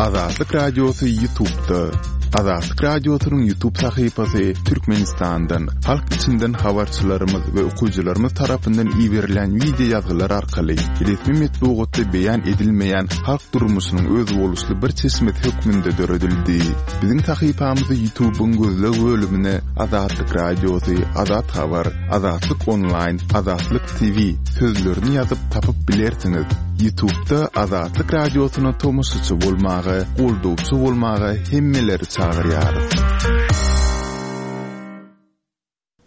Azatlyk Radiosy Ýutubda. Azatlyk Radiosynyň Ýutub sahypasy Türkmenistandan, halk içinden habarçylarymyz we okyjylarymyz tarapyndan iberilen wideo ýazgylar arkaly resmi metbugatda beýan edilmeýän halk durmuşynyň özboluşly bir çeşmesi hökmünde döredildi. Biziň sahypamyzy Ýutubyň gözleg bölümine Azatlyk Radiosy, Azat Habar, Azatlyk Onlaýn, Azatlyk TV sözlerini ýazyp tapyp bilersiňiz. Ýutubda Azatlyk Radiosyna tomaşaçy bolmaga, goldawçy bolmaga hemmeleri çagyrýarys.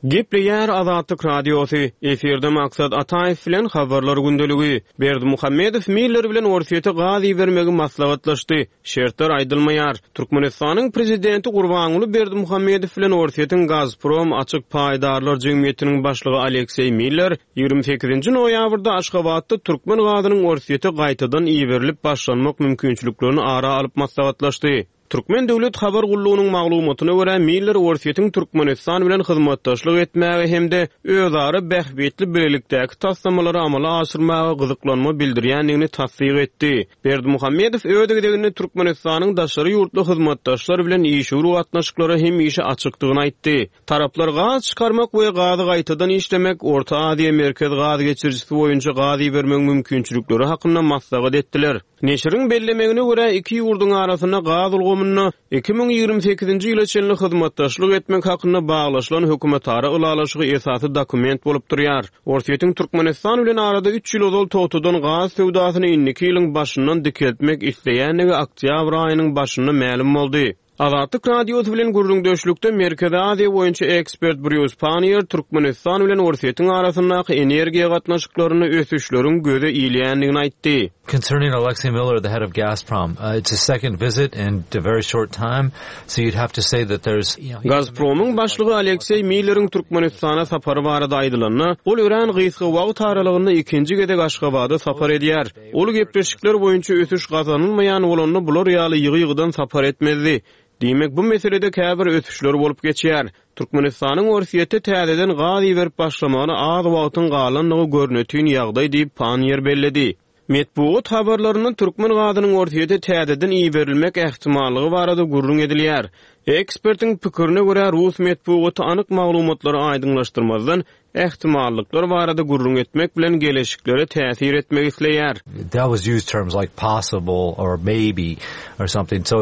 Gepleýär Azatlyk Radiosy, efirde Maksat Ataýew bilen Habarlar gündeligi. Berdimuhamedow Miller bilen Orsýete gaz ibermegi maslahatlaşdy. Şertler aýdylmaýar. Türkmenistanyň Prezidenti Gurbanguly Berdimuhamedow bilen Orsýetiň Gazprom açyk paýdarlar jemgyýetiniň başlygy Alekseý Miller 28-nji noýabrda Aşgabatda türkmen gazynyň Orsýete gaýtadan iberilip başlanmak mümkinçiliklerini ara alyp maslahatlaşdy. Türkmen döwlet habar gullugynyň maglumatyna görä, Miller Orsýetiň Türkmenistan bilen hyzmatdaşlyk etmäge hem-de özara bähbitli bilelikdäki taslamalary amala aşyrmaga gyzyklanma bildirýändigini tassyk etdi. Berdimuhamedow öz gezeginde Türkmenistanyň daşary ýurtly hyzmatdaşlar bilen işewür gatnaşyklara hemişe açykdygyny aýtdy. Taraplar gaz çykarmak we gazy gaýtadan işlemek, Orta Aziýa-Merkez gaz geçirijisi boýunça gaz ibermegiň mümkinçilikleri hakynda maslahat etdiler. Neşiriň bellemegine görä, iki ýurduň arasynda gaz ulgamynda 2028-nji ýyla çenli hyzmatdaşlyk etmek hakynda baglaşylan hökümetara ylalaşygy esasy dokument bolup durýar. Orsýetiň Türkmenistan bilen arada üç ýyl ozal togtadan gaz söwdasyny indiki ýylyň başyndan dikeltmek isleýändigi oktýabr aýynyň başynda mälim boldy. Azatlyk Radiosy bilen gürrüňdeşlikde Merkezi Aziýa boýunça ekspert Brýus Panniýer Türkmenistan bilen Orsýetiň arasyndaky energiýa gatnaşyklarynda ösüşleriň göze ilýändigini aýtdy. Concerning Alexei Miller, the head of Gazprom, it's his second visit in a very short time, so you'd have to say that there's. Gazpromyň başlygy Alekseý Milleriň Türkmenistana sapary barada aýdylanda, ol örän gysga wagt aralygynda ikinji gezek Aşgabada sapar edýär. Ol gepleşikler boýunça ösüş gazanylmaýan bolanda bular ýaly ýygy-ýygydan sapar etmezdi. Diýmek, bu meselede käbir ösüşler bolup geçýär. Türkmenistanyň Orsýete täzeden gaz iberip başlamagyna az wagtyň galandygy görnetin ýagdaý diýip, Panniýer belledi. Metbugat habarlarynda türkmen gazynyň Orsýete täzeden iberilmek ähtimallygy barada gürrüň edilýär. Ekspertiň pikirine görä, rus metbugaty anyk maglumatlary aýdyňlaşdyrmazdan, ähtimallyklar barada gürrüň etmek bilen geleşiklere täsir etmek isleýär. They always use terms like possible or maybe or something so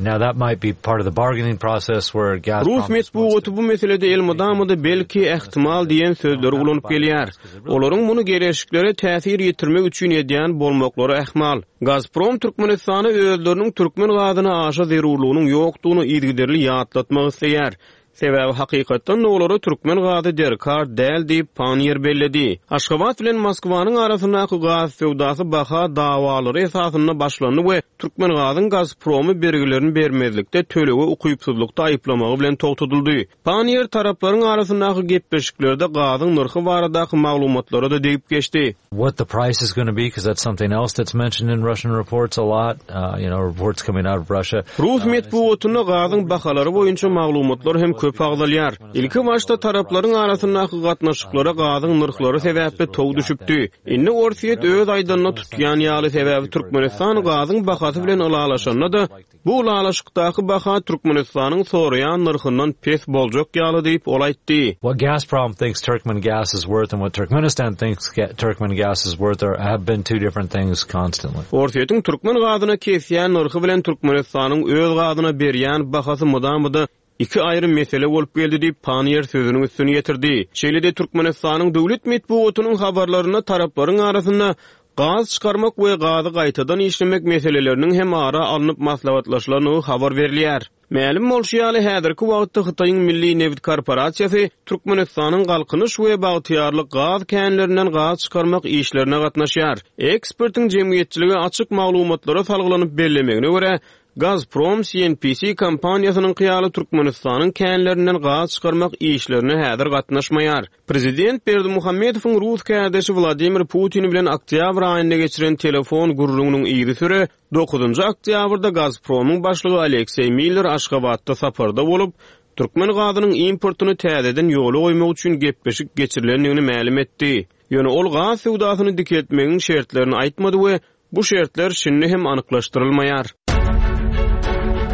now that might be part of the bargaining process where Gazprom Rus metbugaty bu meselede elmydama-da belki, ähtimal diýen sözleri ulanyp gelýär. Olaryň muny geleşiklere täsir ýetirmek üçin edýän bolmaklary ähmal. Gazprom Türkmenistana özleriniň türkmen gazyna aşa zerurlygynyň ýokdugyny yzygiderli ýatlatmak isleýär. Sebäbi hakykatdan-da olara türkmen gazy derkar däl diýip, Panniýer belledi. Aşgabat bilen Moskwanyň arasyndaky gaz söwdasy baha dawalary esasynda başlandy we Türkmengazyň Gazpromy bergilerini bermezlikde tölege ukypsyzlykda aýyplamagy bilen togtadyldy. Panniýer taraplaryň arasyndaky gepleşiklerde gazyň nyrhy baradaky maglumatlara-da degip geçdi. What the price is gonna be, cause that's something else that's mentioned in Russian reports a lot, you know, reports coming out of Russia. Rus metbugatynda gazyň bahalary boýunça maglumatlar hem köp agzalýar. Ilki başda taraplaryň arasyndaky gatnaşyklara gazyň nyrhlary sebäpli tow düşüpdi. Indi Orsýet öz aýdanyny tutýan ýaly, sebäbi Türkmenistan gazyň bahasy bilen ylalaşanda-da, Bu ylalaşykdaky baha Türkmenistanyň soraýan nyrhyndan pes boljak ýaly diýip, ol aýtdy. What Gazprom thinks Turkmen gas is worth and what Turkmenistan thinks Turkmen gas is worth are have been two different things constantly. Orsýetiň türkmen gazyna kesýän nyrhy bilen Türkmenistanyň öz gazyna berýän bahasy mydama-da iki aýry mesele bolup geldi diýip, Panniýer sözüniň üstüni ýetirdi. Şeýle-de Türkmenistanyň döwlet metbugatynyň habarlarynda taraplaryň arasynda gaz çykarmak we gazy gaýtadan işlemek meseleleriniň hem ara alnyp maslahatlaşylandygy habar berilýär. Mälim bolşy ýaly, häzirki wagtda Hytaýyň Milli nebit korporasiýasy Türkmenistanyň Galkynyş we Bagtyýarlyk gaz känlerinden gaz çykarmak işlerine gatnaşýar. Ekspertiň jemgyýetçilige açyk maglumatlara salgylanyp bellemegine görä, Gazprom CNPC kompaniýasynyňky ýaly Türkmenistanyň känlerinden gaz çykarmak işlerine häzir gatnaşmaýar. Prezident Berdimuhamedowyň rus kärdeşi Wladimir Putin bilen oktýabr aýynda geçiren telefon gürrüňiniň yzysüre, dokuzynjy oktýabrda Gazpromyň başlygy Alekseý Miller Aşgabatda saparda bolup, türkmen gazynyň importyny täzeden ýola goýmak üçin gepleşik geçirilendigini mälim etdi. Ýöne ol gaz söwdasyny dikeltmegiň şertlerini aýtmady we Bu şertler şindi hem anyklaşdyrylmaýar.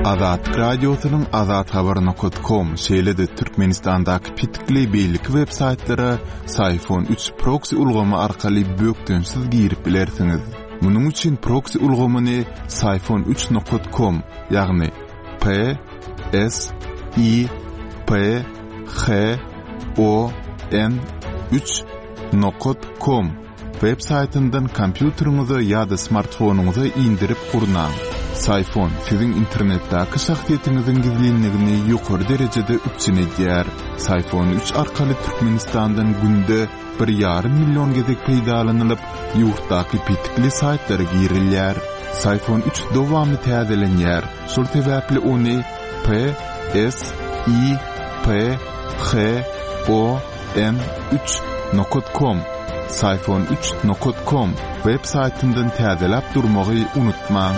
Azatlyk Radiosynyň azathabar nokat kom, şeýle-de Türkmenistandaky petikli beýleki web saýtlara Syfon 3 proksi ulgamy arkaly bökdençsiz girip bilersiňiz. Munuň üçin proksi ulgamyny Syfon 3 nokat kom, ýagny P S I P H O N 3 nokat kom web saýtyndan kompýuteriňize ýa-da smartfonyňyza indirip gurnaň. Syfon siziň internetdäki şahsyýetiňiziň gizlinligini ýokary derejede üpjün edýär. Syfon 3 arkaly Türkmenistandan günde bir ýarym million gezek peýdalanylyp, ýurtdaky petikli saýtlara girilýär. Syfon 3 dowamly täzelenýär, şol sebäpli ony P S I P H O N 3 nokat kom Syfon 3 nokat kom web saýtyndan täzeläp durmagy unutmaň.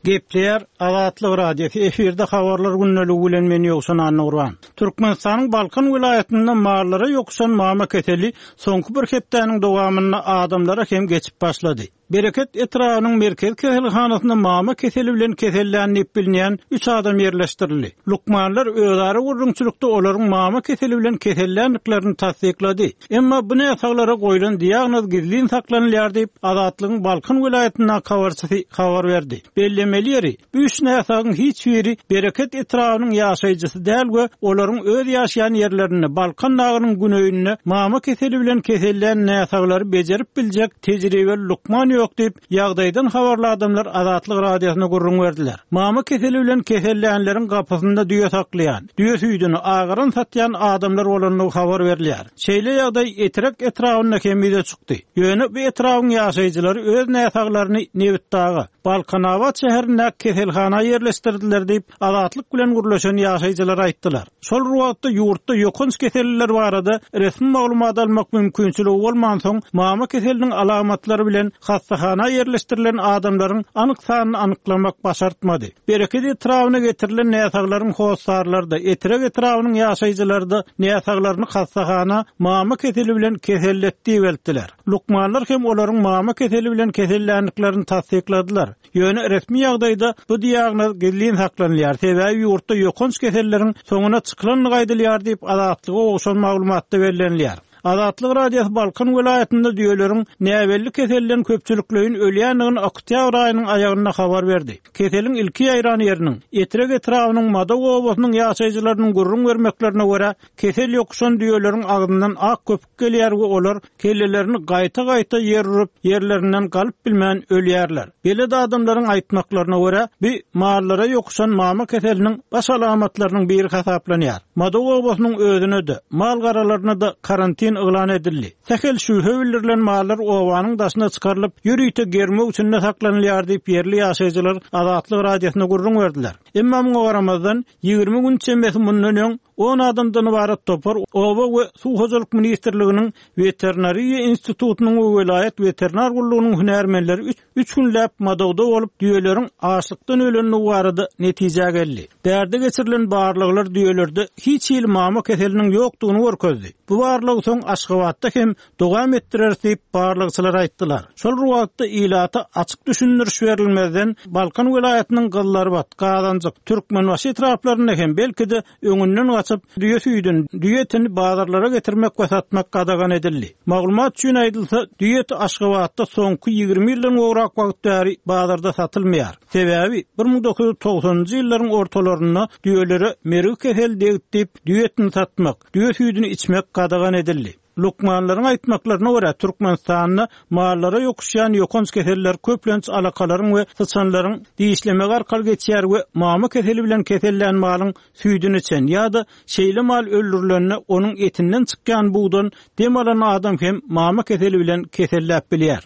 Gepleýär Azatlyk Radiosy, efirde habarlar gündeligi bilen men Ýowşan Annagurban. Türkmenistanyň Balkan welaýatynda mallara ýokuşan mama keseli soňky bir hepdäniň dowamynda adamlara hem geçip başlady. Bereket etrabynyň merkezi keselhanasynda mama keseli bilen kesellän diýip bilinýän üç adam ýerleşdirildi. Lukmanlar özara gürrüňçilikde olaryň mama keseli bilen keselländiklerini tassyklady. Emma bu näsaglara goýlan diagnoz gizlin saklanylýar diýip, Azatlygyň Balkan welaýatyndaky habarçysy habar berdi. Bellemeli ýeri, Bu üç näsagyň hiç biri Bereket etrabynyň ýaşaýjysy däl we olaryň öz ýaşaýan ýerlerinde, Balkan dagynyň güneýinde mama keseli bilen kesellän näsaglary bejerip biljek tejribeli lukman ýok diýip, ýagdaýdan habarly adamlar Azatlyk Radiosyna gürrüň berdiler. Mama keseli bilen kesellänleriň gapysynda düýe saklaýan, düýe süýdüni agaran satýan adamlar bolandygy habar berilýär. Şeýle ýagdaý Etrek etrabynda hem ýüze çykdy. Ýöne bu etrabyň ýaşaýjylary öz näsaglaryny Nebitdaga, Balkanabat şäherindäki keselhana ýerleşdirdiler diýip, Azatlyk bilen gürleşen ýaşaýjylar aýtdylar. Şol bir wagtda, ýurtda ýokanç keselliler barada resmi maglumat almak mümkinçiligi bolmansoň, mama keseliniň alamatlary bilen hassahana ýerleşdirilen adamlaryň anyk sanyny anyklamak başartmady. Bereket etrabyna getirilen näsaglaryň hossarlary-da, Etrek etrabynyň ýaşaýjylary-da näsaglaryny hassahana mama keseli bilen keselletdi diýip eltdiler. Lukmanlar hem olaryň mama keseli bilen keselländiklerini tassykladylar. Ýöne resmi ýagdaýda bu diagnoz gizlin saklanylýar, sebäbi ýurtda ýokanç keselleriň soňuna çykylandygy aýdylýar diýip, Azatlyga gowşan maglumatda bellenilýär. Azatlyk Radiosy Balkan welaýatynda düýeleriň näbelli keselden köpçülikleýin ölýändigini oktýabr aýynyň aýagynda habar berdi. Keseliň ilki ýaýran ýeriniň, Etrek etrabynyň Madaw obasynyň ýaşaýjylarynyň gürrüň bermeklerine görä, kesel ýokuşan düýeleriň agzyndan ak köpük gelýär we olar kellelerini gaýta-gaýta ýer urup, ýerlerinden galyp bilmän ölýärler. Belet adamlaryň aýtmaklaryna görä, bu mallara ýokuşan mama keseliniň baş alamatlarynyň biri hasaplanýar. Madaw obasynyň özüne-de, mal-garalaryna-da karantin yglan edildi. Sähel şübhe bildirilen mallar obanyň daşyna çykarylyp, ýörite germew içinde saklanylýar diýip, ýerli ýaşaýjylar Azatlyk Radiosyna gürrüň berdiler. Emma muňa garamazdan, 20 gün çemesi mundan öň On adamdan ybarat topar Oba we suw hojalyk ministrliginiň Weterinariýa institutynyň we welaýat weterinar gullugynyň hünärmenleri üç üç günläp Madawda bolup, düýeleriň açlykdan ölendigi barada netijä geldi. Bärde geçirilen barlaglar düýelerde hiç hili mama keseliniň ýokdugyny görkezdi. Bu barlagy soň Aşgabatda hem dowam etdireris diýip, barlagçylar aýtdylar. Şol bir wagtda, ilata açyk düşündiriş berilmezden, Balkan welaýatynyň Gyzylarbat, Gazanjyk, Türkmenbaşy etraplarynda hem, belki-de, öňünden gaçyp, düýe süýdüni, düýe etini bazarlara getirmek we satmak gadagan edildi. Maglumat üçin aýdylsa, düýe eti Aşgabatda soňky 20 ýyldan gowrak wagt bäri bazarda satylmaýar. Sebäbi, 1990-njy ýyllaryň ortalarynda düýelere mergi keseli degdi diýip, düýe etini satmak, düýe süýdüni içmek gadagan edildi. Lukmanlaryň aýtmaklaryna görä, Türkmenistanda mallara ýokuşýan ýokanç keseller köplenç alakalaryň we syçanlaryň dişlemegi arkaly geçýär we mama keseli bilen kesellän malyň süýdüni içen ýa-da şeýle mal öldürilende onuň etinden çykýan bugdan dem alan adam hem mama keseli bilen keselläp bilýär.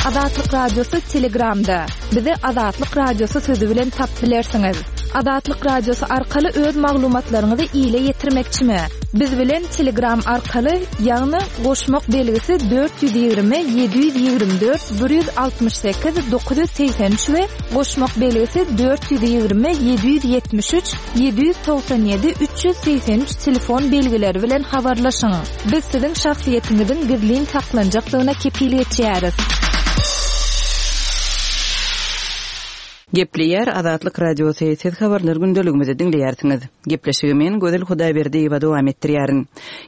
Azatlyk Radiosy Telegramda. Bizi Azatlyk Radiosy sözi bilen tapyp bilersiňiz. Azatlyk Radiosy arkaly öz maglumatlaryňyzy ile ýetirmekçimi? Biz bilen Telegram arkaly, ýagny goşmak belgisi 420 724 168 983 we goşmak belgisi 420 773 797 383 telefon belgileri bilen habarlaşyň. Biz siziň şahsyýetiňiziň gizlin saklanjakdygyna kepil geçýäris. Gepleýär Azatlyk Radiosy, Siz Habarlar gündeligimizi diňleýärsiňiz. Gepleşigi men, Gözel Hudaýberdiýewa dowam etdirýärin.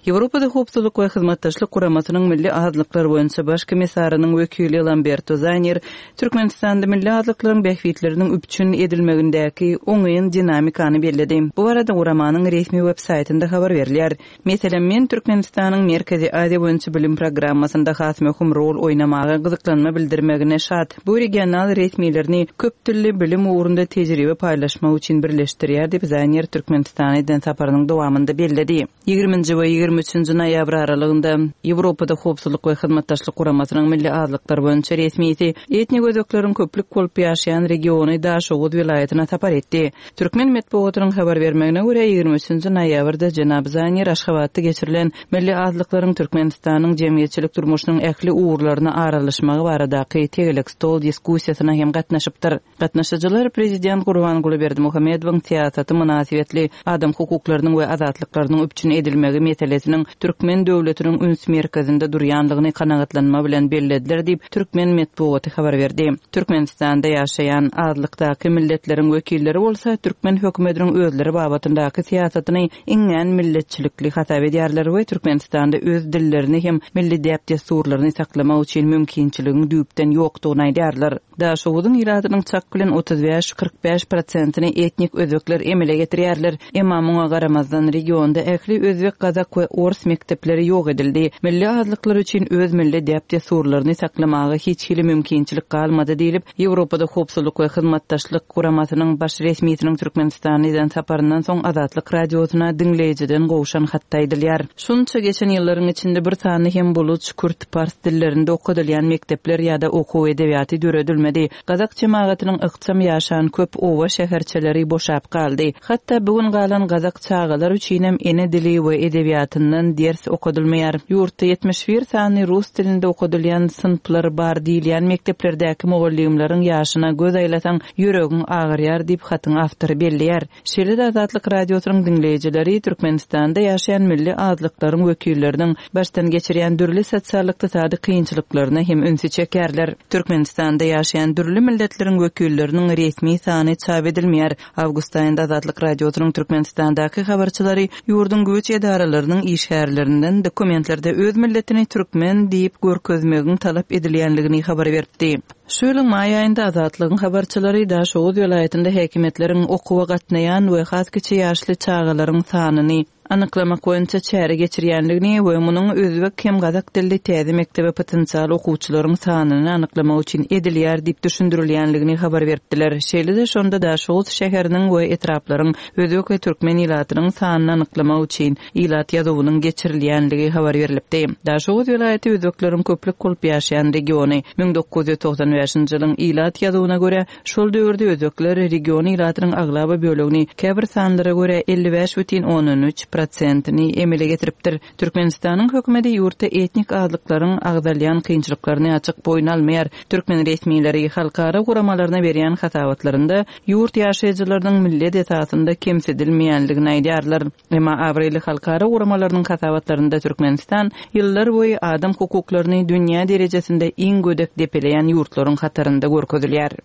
Ýewropada Howpsuzlyk we Hyzmatdaşlyk Guramasynyň Milli azlyklar boýunça Baş komissarynyň wekili Lamberto Zanir Türkmenistanda milli azlyklaryň bähbitleriniň üpjün edilmegindäki oňyn dinamikany belledi. Bu barada guramanyň resmi web saýtynda habar berilýär. Meselem, men Türkmenistanyň Merkezi Aziýa boýunça bilim programmasynda has möhüm rol oýnamaga gyzyklanma bildirmegine şat. Bu regional resmilerini köp dilli bilim ugrunda tejribe paýlaşmak üçin birleşdirýär diýip, Zaýner Türkmenistana eden saparynyň dowamynda belledi. Ýigriminji we 23 üçünji noýabr aralygynda Ýewropada Howpsuzlyk we Hyzmatdaşlyk Guramasynyň milli azlyklar boýunça resmisi etnik özbekleriň köplük bolup ýaşaýan regiony Daşoguz welaýatyna sapar etdi. Türkmen metbugatynyň habar bermegine görä, 23 üçünji noýabrda jenap Zanir Aşgabatda geçirilen Milli azlyklaryň Türkmenistanyň jemgyýetçilik durmuşynyň ähli ugurlaryna aralaşmagy baradaky tegelek stol diskussiýasyna hem gatnaşypdyr. Gatnaşyjylar prezident Gurbanguly Berdimuhamedowyň syýasaty mynasybetli adam hukuklarynyň we azatlyklarynyň üpjün edilmegi meselesiniň türkmen döwletiniň üns merkezinde durýandygyny kanagatlanma bilen bellediler diýip, türkmen metbugaty habar berdi. Türkmenistanda ýaşaýan azlykdaky milletleriň wekilleri bolsa türkmen hökümetiniň özleri babatyndaky syýasatyny iňňän milletçilikli hasap edýärler we Türkmenistanda öz dillerini hem milli däp-dessurlaryny saklamak üçin mümkinçiligiň düýpden ýokdugyny aýdýarlar. Daşoguzyň ilatynyň çak bilen 35, 45 prosentini etnik özbekler emele getirýärler. Emma muňa garamazdan, regionda ähli özbek, gazak we ors mekdepleri ýok edildi. Milli azlyklar üçin öz milli däp-dessurlaryny saklamaga hiç hili mümkinçilik galmady diýlip, Ýewropada Howpsuzlyk we Hyzmatdaşlyk Guramasynyň baş resmisiniň Türkmenistana eden saparyndan soň Azatlyk Radiosyna diňleýjiden gowşan hatda aýdylýar. Şunça geçen ýyllaryň içinde bir sany hem buluç, kürt, pars dillerinde okadylýan mekdepler ýa-da okuw edebiýaty döredilmedi. Gazak jemagatynyň ykjam ýaşan köp oba-şäherçeleri boşap galdy. Hatda bu gün galan gazak çagalar üçinem ene dili we edebiýatyndan ders okadylmaýar. Ýurtda 71 sany rus dilinde okadylýan synplar bar diýilýän mekdeplerdäki mugallymlaryň ýaşyna göz aýlasaň, ýüregiň agyrýar diýip, hatyň awtory belleýär. Şeýle-de Azatlyk Radiosynyň diňleýjileri Türkmenistanda ýaşaýan milli azlyklaryň wekilleriniň başdan geçirýän dürli sosial-ykdysady kynçylyklaryna hem ünsi çekýärler. Türkmenistanda ýaşaýan dürli milletleriň wekilleriniň resmi sany çap edilmeýär. Awgust aýynda Azatlyk Radiosynyň Türkmenistandaky habarçylary ýurduň güýç edaralarynyň işgärlerinden dokumentlerde öz milletini türkmen diýip görkezmegiň talap edilýänligini habar beripdi. Şu ýylyň maý aýynda Azatlygyň habarçylary Daşoguz welaýatynda häkimiýetleriň okuwa gatnaýan we has kiçi ýaşly çagalaryň sanyny anyklamak boýunça çäre geçirýändigini we munuň özbek hem gazak dilli täze mekdebe potensial okuwçylaryň sanyny anyklamak üçin edilýär diýip düşündirilýändigini habar beripdiler. Şeýle-de şonda Daşoguz şäheriniň we etraplaryň özbek we türkmen ilatynyň sanyny anyklamak üçin ilat ýazuwynyň geçirilýänligi habar berlipdi. Daşoguz welaýaty özbekleriň köplük bolup ýaşaýan regiony. 1995-nji ýylyň ilat ýazuwyna görä, şol döwürde özbekler region ilatynyň aglaba bölegini, käbir sanlara görä, 55 bütin ondan üç prosentini emele getiripdir. Türkmenistanyň hökümeti ýurtda etnik azlyklaryň agzalýan kynçylyklaryny açyk boýun almaýar. Türkmen resmileri halkara guramalaryna berýän hasabatlarynda ýurt ýaşaýjylarynyň millet esasynda kemsidilmeýänligini aýdýarlar. Emma abraýly halkara guramalarynyň hasabatlarynda Türkmenistan ýyllar boýy adam hukuklaryny dünýä derejesinde iň gödek depeleýän ýurtlaryň hatarynda görkezilýär.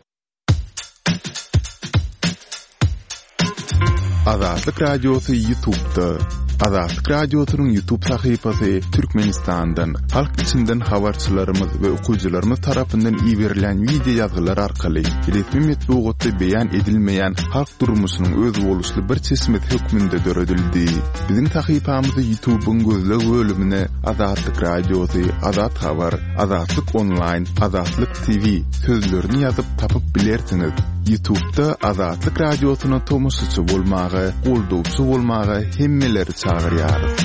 Azatlyk Radiosy YouTube'da. Azatlyk Radiosynyň YouTube sahypasy Türkmenistandan, halk içinden habarçylarymyz we okyjylarymyz tarapyndan iberilen wideo ýazgylar arkaly resmi metbugatda beýan edilmeýän halk durmuşynyň özboluşly bir çeşmesi hökmünde döredildi. Biziň sahypamyzy YouTube'yň gözleg bölümine Azatlyk Radiosy, Azat Habar, Azatlyk Onlaýn, Azatlyk TV sözlerini ýazyp tapyp bilersiňiz. Ýutubda Azatlyk Radiosyna tomaşaçy bolmaga, goldawçy bolmaga hemmeleri çagyrýarys.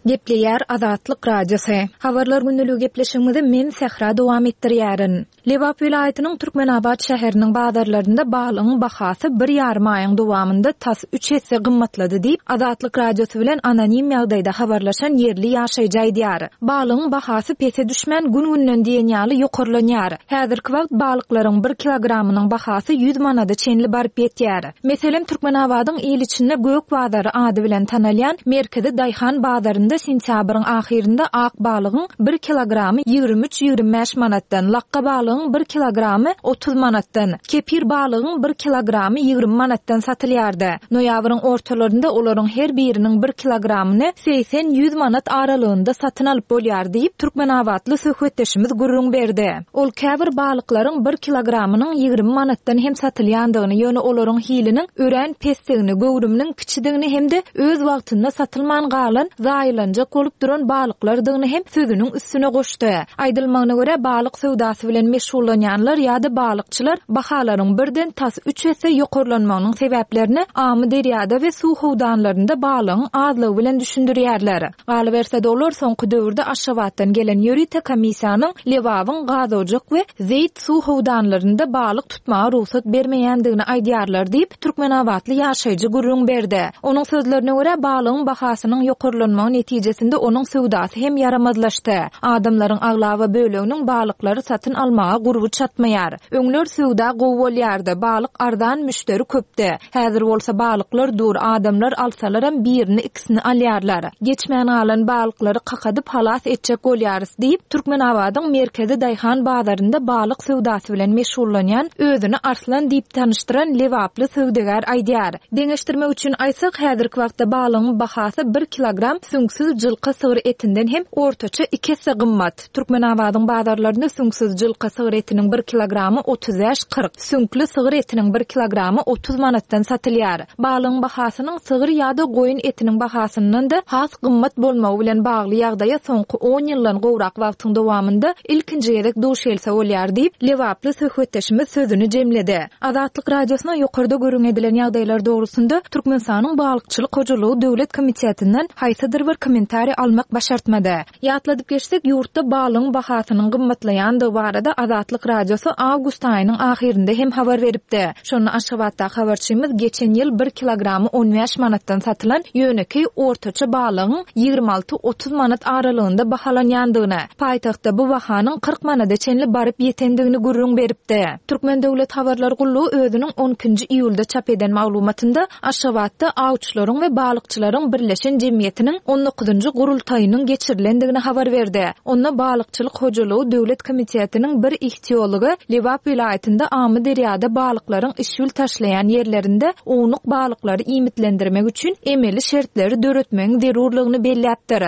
Gepleýär Azatlyk Radiosy. Habarlar gündeligi gepleşigimizi men Sähra dowam etdirýärin. Lebap welaýatynyň Türkmenabat şäheriniň bazarlarynda balygyň bahasy bir ýarym aýyň dowamynda tas üç esse gymmatlady diýip, Azatlyk Radiosy bilen anonim ýagdaýda habarlaşan ýerli ýaşaýjy aýdýar. Balygyň bahasy pese düşmän, gün-günden diýen ýaly ýokarlanýar. Häzirki wagt balyklaryň bir kilogramynyň bahasy ýüz manada çenli baryp ýetýär. Meselem, Türkmenabadyň il içinde Gök bazary ady bilen tanalýan merkezi daýhan bazarynda. bazarlarynda sentýabryň ahyrynda ak balygyň bir kilogramy 23-25 manatdan, lakga balygyň bir kilogramy 30 manatdan, kepir balygyň bir kilogramy 20 manatdan satylýardy. Noýabryň ortalarynda olaryň her biriniň bir kilogramyny 80-100 manat aralygynda satyn alyp bolýar diýip, türkmenabatly söhbetdeşimiz gürrüň berdi. Ol käbir balyklaryň bir kilogramynyň 20 manatdan hem satylýandygyny, ýöne olaryň hiliniň örän pesdigini, göwrüminiň kiçidigini hem-de öz wagtynda satylman galan, zaýalanjak bolup duran balyklardygyny hem sözüniň üstüne goşdy. Aýdylmagyna görä, balyk söwdasy bilen meşgullanýanlar ýa-da balykçylar bahalaryň birden tas üç esse ýokarlanmagynyň sebäplerini Amyderýada we suw howdanlarynda balygyň azlygy bilen düşündirýärler. Galyberse-de, olar soňky döwürde Aşgabatdan gelen ýörite komissiýanyň Lebabyň Gazojak we Zeýt suw howdanlarynda balyk tutmaga rugsat bermeýändigini aýdýarlar diýip, türkmenabatly ýaşaýjy gürrüň berdi. Onuň sözlerine görä, balygyň bahasynyň ýokarlanmagy netijesinde onuň söwdasy hem ýaramazlaşdy. Adamlaryň aglaba böleginiň balyklary satyn almaga gurby çatmaýar. Öňler söwda gowy bolýardy, balyk arzan, müşderi köpdi. Häzir bolsa balyklar dur, adamlar alsalaram birini-ikisini alýarlar. Geçmän galan balyklary kakadyp halas etjek bolýarys diýip, Türkmenabadyň merkezi daýhan bazarynda balyk söwdasy bilen meşgullanýan, özüni Arslan diýip tanyşdyran lebaply söwdagär aýdýar. Deňeşdirmek üçin aýtsak, häzirki wagtda balygyň bahasy bir kilogram süňksüz jylka sygyr etinden hem ortaça iki esse gymmat. Türkmenabadyň bazarlarynda süňksüz jylka sygyr etiniň bir kilogramy 35, 40, süňkli sygyr etiniň bir kilogramy 30 manatdan satylýar. Balygyň bahasynyň sygyr ýa-da goýun etiniň bahasyndan-da has gymmat bolmagy bilen bagly ýagdaýa soňky on ýyldan gowrak wagtyň dowamynda ilkinji gezek duş gelse bolýar diýip, lebaply söhbetdeşimiz sözüni jemledi. Azatlyk Radiosyna ýokarda gürrüň edilen ýagdaýlar dogrusynda Türkmenistanyň Balykçylyk hojalygy döwlet komitetinden haýsydyr bir kommentariý almak başartmady. Ýatladyp geçsek, ýurtda balygyň bahasynyň gymmatlaýandygy barada Azatlyk Radiosy awgust aýynyň ahyrynda hem habar beripdi. Şonda Aşgabatdaky habarçymyz geçen ýyl bir kilogramy 15 manatdan satylan ýönekeý ortaça balygyň 26-30 manat aralygynda bahalanýandygyny, paýtagtda bu bahanyň 40 manada çenli baryp ýetendigini gürrüň beripdi. Türkmen döwlet habarlar gullugy özüniň on ikinji iýulda çap eden maglumatynda Aşgabatda awçylaryň we balykçylaryň birleşen jemgyýetiniň on dokuzynjy gurultaýynyň geçirilendigini habar berdi. Onda Balykçylyk hojalygy döwlet komitetiniň bir ihtiology Lebap welaýatynda Amyderýada balyklaryň işbil taşlaýan ýerlerinde ownuk balyklary iýmitlendirmek üçin emeli şertleri döretmegiň zerurlygyny belläpdir.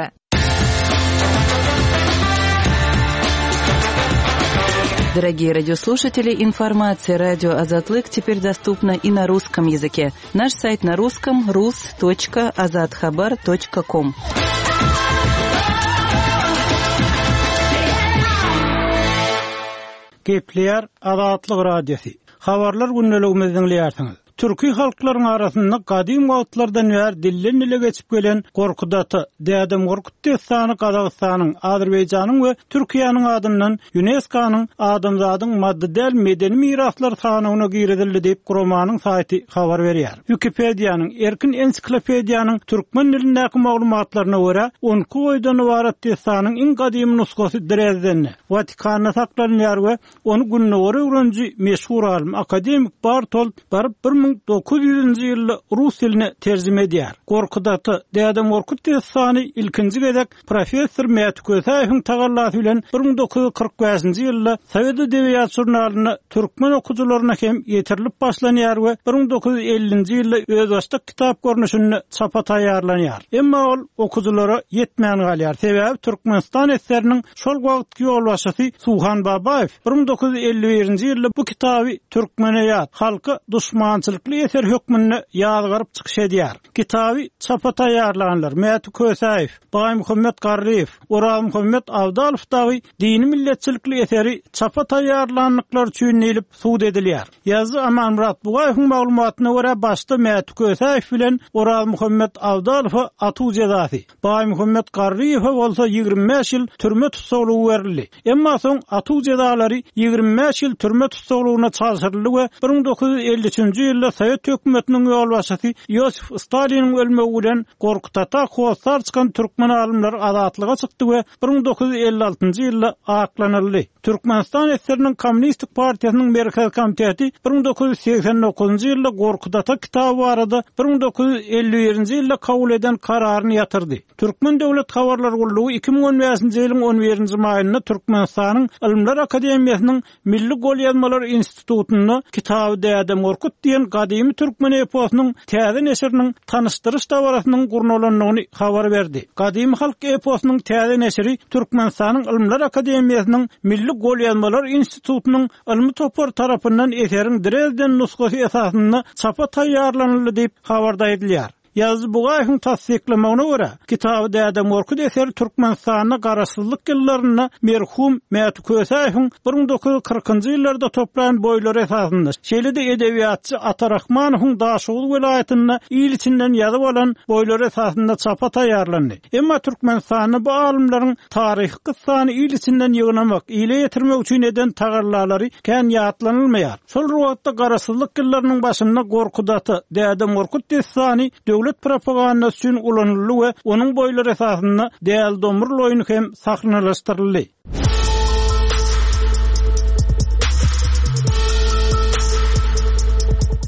Дорогие радиослушатели, информация радио Азатлык теперь доступна и на русском языке. Наш сайт на русском rus.azathabar.com. Gepleýär Azatlyk Radiosy. Habarlar gündeligimizi diňleýärsiňiz. Türki halklaryň arasynda gadym wagtlardan bäri dilden-dile geçip gelen Gorkut ata, Dädem Gorkut dessany Gazagystanyň, Azerbaýjanyň we Türkiýäniň adyndan ÝUNESKO-nyň Adamzadyň maddy däl medeni miraslary sanawyna girizildi diýip, guramanyň saýty habar berýär. Wikipediýanyň, erkin ensiklopediýanyň türkmen dilindäki maglumatlaryna görä, 12 oýdan ybarat dessanyň iň gadymy nusgasy Drezdende, Watikanda saklanylýar we Ony gündogary öwreniji meşhur alym, akademik Bartold baryp 1900-nji ýylda rus diline terjime edýär. Gorkut ata, Dädem Gorkut dessany ilkinji gezek professor Mäti Kösäýewiň tagallasy bilen 1945-nji ýylda Sowet edebiýat žurnalynda türkmen okyjylaryna hem ýetirilip başlanýar we 1950-nji ýylda özbaşdak kitap görnüşinde çapa taýýarlanýar. Emma ol okyjylara ýetmän galýar, sebäbi Türkmenistan esgeriniň Şol wagtky ýolbaşçysy Suhan Babaýew 1951-nji ýylda bu kitaby türkmene ýat, halka duşmançylykly eser hökmünde ýazgaryp çykyş edýär. Kitaby çapa taýýarlanlar Mäti Kösäýew, Baýmuhammet Garryýew, Orazmuhammet Abdalow dagy dini milletçilikli eseri çapa taýýarlandyklary üçin diýlip sud edilýär. Ýazyjy Amanmyrat Bugaýewiň maglumatyna görä başda Mäti Kösäýew bilen Orazmuhammet Abdalowa atuw jezasy, Baýmuhammet Garryýewe bolsa 25 ýyl türme tussaglygy berildi. Emma soň atuw jezalary 25 ýyl türme tussaglygyna çalşyryldy we 1953-nji ýylda. ýylda sowet hökümetiniň ýolbaşçysy Iosif Staliniň ölmegi bilen Gorkut ata hossar çykan türkmen alymlary azatlyga çykdy we 1956-njy ýylda aklanyldy. Türkmenistan SSR-niň Kommunistik partiýasynyň Merkezi komiteti 1989-njy ýylda Gorkut ata kitaby barada 1951-nji ýylda kabul eden kararyny ýatyrdy. Türkmen döwlet habarlar gullugy 2015-nji ýylyň on birinji maýynda Türkmenistanyň Ylymlar akademiýasynyň Milli golýazmalar institutynda Kitaby Dädem Gorkut diýen gadymy türkmen eposynyň täze neşiriniň tanyşdyryş dabarasynyň gurnalandygyny habar berdi. Gadymy halk eposynyň täze neşiri Türkmenistanyň Ylymlar akademiýasynyň Milli golýazmalar institutynyň ylmy topary tarapyndan eseriň Drezden nusgasy esasynda çapa taýýarlanyldy diýip, habarda aýdylýar. Ýazyjy Bugaýewiň tassyklamagyna görä, Kitaby Dädem Gorkut eseri Türkmenistanda garaşsyzlyk ýyllarynda merhum Mäti Kösäýewiň 1940-njy ýyllarda toplan boýlary esasynda, şeýle-de edebiýatçy Ata Rahmanowyň Daşoguz welaýatynda il içinden ýazyp alan boýlary esasynda çapa taýýarlandy. Emma Türkmenistanda bu alymlaryň taryhy kyssany il içinden ýygnamak, ile ýetirmek üçin eden tagallalary kän ýatlanylmaýar. Şol bir wagtda garaşsyzlyk ýyllarynyň başynda Gorkut ata, Dädem Gorkut dessany döwlet propagandasy üçin ulanyldy we onuň boýlary esasynda Däli Domrul oýny hem sahnalaşdyryldy.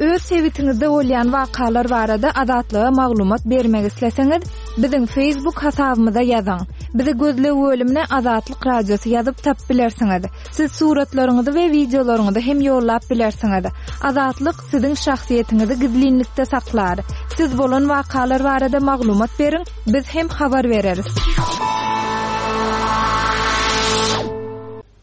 Öz sebitiňizde bolýan wakalar barada Azatlyga maglumat bermek isleseňiz, biziň Facebook hasabymyza ýazyň. Bizi gözleg bölümine Azatlyk Radiosy ýazyp tapyp bilersiňiz. Siz suratlaryňyzy we wideolaryňyzy hem ýollap bilersiňiz. Azatlyk siziň şahsyýetiňizi gizlinlikde saklar. Siz bolan wakalar barada maglumat beriň, biz hem habar bereris.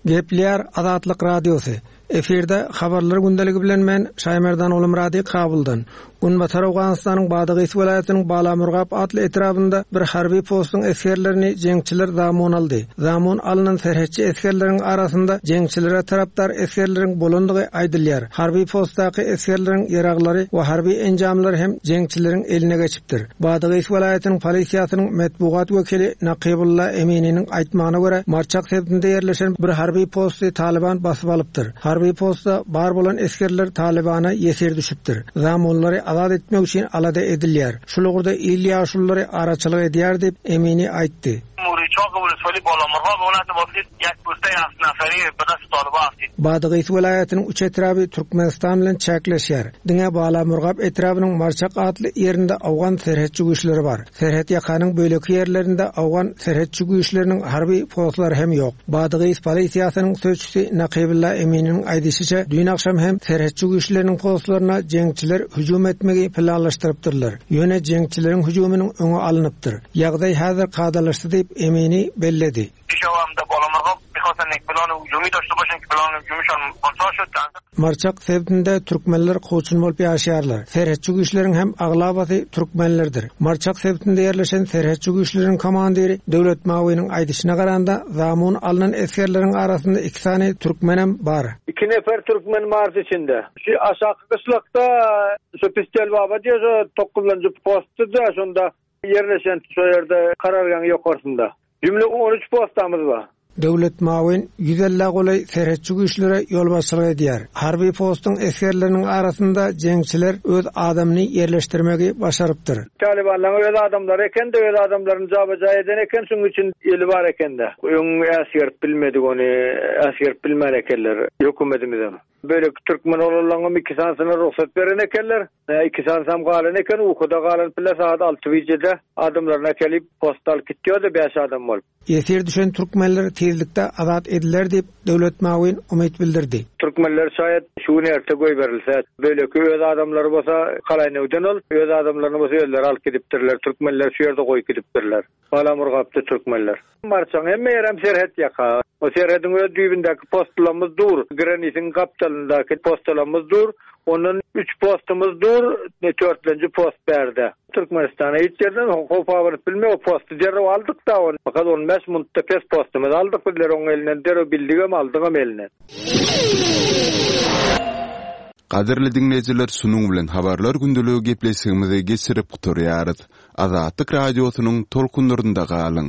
Gepleýär Azatlyk Radiosy. Efirde Habarlar gündeligi bilen men, Şaýmerdan Gulumyrady Kabuldan. Günbatar Owganystanyň Badagys welaýatynyň Balamurgap atly etrabynda bir harby postuň esgerlerini jeňçiler zamun aldy. Zamun alnan serhetçi esgerleriň arasynda jeňçilere tarapdar esgerleriň bolandygy aýdylýar. Harby postdaky esgerleriň ýaraglary we harby enjamlary hem jeňçileriň eline geçipdir. Badagys welaýatynyň polisiýasynyň metbugat wekili Nakybulla Emininiň aýtmagyna görä, Marçak sebitinde ýerleşen bir harby posty Talyban basyp alypdyr. Harby postda bar bolan esgerler Talybana ýesir düşüpdir. Zamunlary azat etmek üçin alada edilýär. Şul ugurda il ýaşululary araçylyk edýär diýip, Emini aýtdy. Badagys welaýatynyň üç etraby Türkmenistan bilen çäkleşýär. Diňe Balamurgap etrabynyň Marçak atly ýerinde owgan serhetçi güýçleri bar. Serhet ýakanyň beýleki ýerlerinde owgan serhetçi güýçleriniň harby postlary hem ýok. Badagys polisiýasynyň sözçüsi Nakybulla Emininiň aýdyşyça, düýn agşam hem serhetçi güýçleriniň postlaryna jeňçiler hüjüm etmegi planlaşdyrypdyrlar. Ýöne jeňçileriň hüjüminiň öňi alnypdyr. Ýagdaý häzir kadalaşdy diýip, Emini belledi. Marçak sebitinde türkmenler kowçum bolup ýaşaýarlar. Serhetçi güýçleriň hem aglabasy türkmenlerdir. Marçak sebitinde ýerleşen serhetçi güýçleriň komandiri Döwlet Mawynyň aýdyşyna garanda, zamun alnan esgerleriň arasynda iki sany türkmenem bar. Iki nefer türkmen mart içinde. Şu aşaky gyşlakda şu Pistelbaba diýen şo tokuzynjy postdy-da şonda ýerleşen şo ýerde karargaň ýokarsynda. Jümle on üç postamyz bar. Döwlet Mawin ýüz ellä golaý serhetçi güýçlere ýolbaşçylyk edýär. Harby postuň esgerleriniň arasynda jeňçiler öz adamyny ýerleşdirmegi başarypdyr. Talybanlaryň öz adamlary eken-de, öz adamlaryny jaba-ja eden eken, şuň üçin eli bar eken-de. Öň äsgerip bilmedik ony, äsgerip bilmän ekenler, hökümetimizem. Beýleki türkmen oglanlaryňam iki sanysyna rugsat beren ekenler. Nä iki sanysam galan eken, ukuda galan pille sagat alty bijede adamlaryny äkelip, posta alyp gitýärdi bäş adam bolup. Ýesir düşen türkmenler tizlikde azat ediler diýip, Döwlet Mawin umyt bildirdi. Türkmenler şaýat şu gün erte goýberilse, beýleki öz adamlary bolsa Kalaýnewden ol, öz adamlaryny bolsa özleri alyp gidipdirler, türkmenleri şu ýerde goýup gidipdirler. Balamurgapda türkmenler. Marçaň hemme ýerem serhet ýaka. O serhediň öz düýbündäki postulamyz dur. Granitiň gapdalyndaky postulamyz dur. Ondan üç postumyz dur, törtlenji post bärde. Türkmenistana hiç ýerden howp abanyp bilmeýär. O posty derrew aldyk-da ony. Fakat on bäş munutda pes postumyzy aldyk bizler oň elinden derrew bildigem aldygam elinden. Gadyrly diňleýjiler şunuň bilen habarlar gündeligi gepleşigimizi geçirip gutarýarys. Azatlyk Radiosynyň tolkunlarynda galyň!